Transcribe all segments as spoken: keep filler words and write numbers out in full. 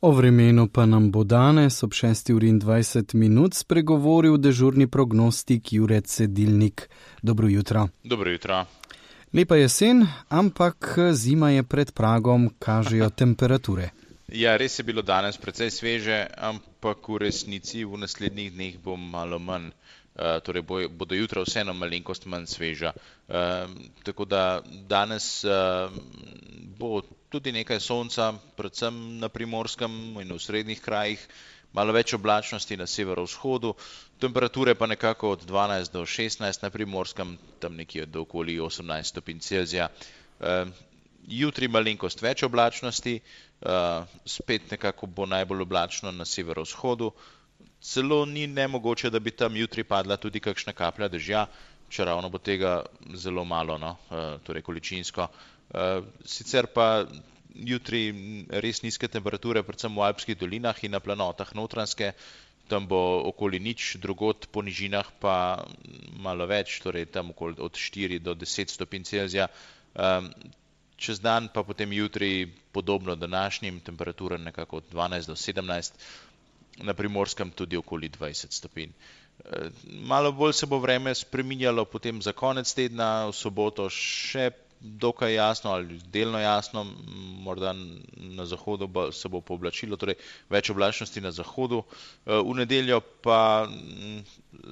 O vremenu pa nam bo danes ob šesti uri in dvajset minut spregovoril dežurni prognostik Jure Cedilnik. Dobro jutro. Dobro jutro. Lepa jesen, ampak zima je pred pragom, kažejo temperature. Ja, res je bilo danes precej sveže, ampak v resnici v naslednjih dneh bo malo manj. Uh, torej bo, bodo jutra vseeno malenkost manj sveža. Uh, tako da danes uh, bo tudi nekaj sonca, predvsem na Primorskem in v srednjih krajih, malo več oblačnosti na severovzhodu, temperature pa nekako od dvanajst do šestnajst na Primorskem, tam nekje do okoli osemnajst stopinj Celzija. Uh, jutri malenkost več oblačnosti, uh, spet nekako bo najbolj oblačno na severovzhodu. Celo ni nemogoče, da bi tam jutri padla tudi kakšna kaplja dežja, čeravno bo tega zelo malo, no, torej količinsko. Sicer pa jutri res nizke temperature, predvsem v alpskih dolinah in na planotah Notranjske, tam bo okoli nič, drugod po nižinah pa malo več, torej tam okoli od štiri do deset stopinj Celzija. Čez dan pa potem jutri podobno današnjim, temperatura nekako od dvanajst do sedemnajst, na Primorskem tudi okoli dvajset stopinj. Malo bolj se bo vreme spreminjalo potem za konec tedna, v soboto še dokaj jasno ali delno jasno, morda na zahodu se bo pooblačilo, torej več oblačnosti na zahodu. V nedeljo pa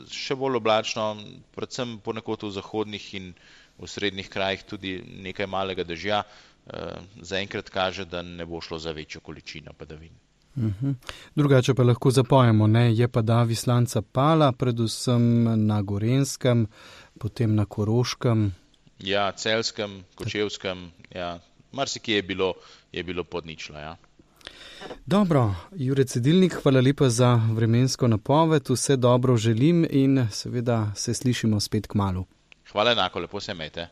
še bolj oblačno, predvsem ponekod v zahodnih in v srednjih krajih tudi nekaj malega dežja. Zaenkrat kaže, da ne bo šlo za večjo količino padavin. Uhum. Drugače pa lahko zapojemo, ne? Je pa da vislanca pala, predvsem na Gorenjskem, potem na Koroškem. Ja, Celjskem, Kočevskem, ja, marsikje je bilo, je bilo pod ničlo, ja. Dobro, Jure Cedilnik, hvala lepa za vremensko napoved, vse dobro želim in seveda se slišimo spet kmalu. Hvala enako, lepo se imejte.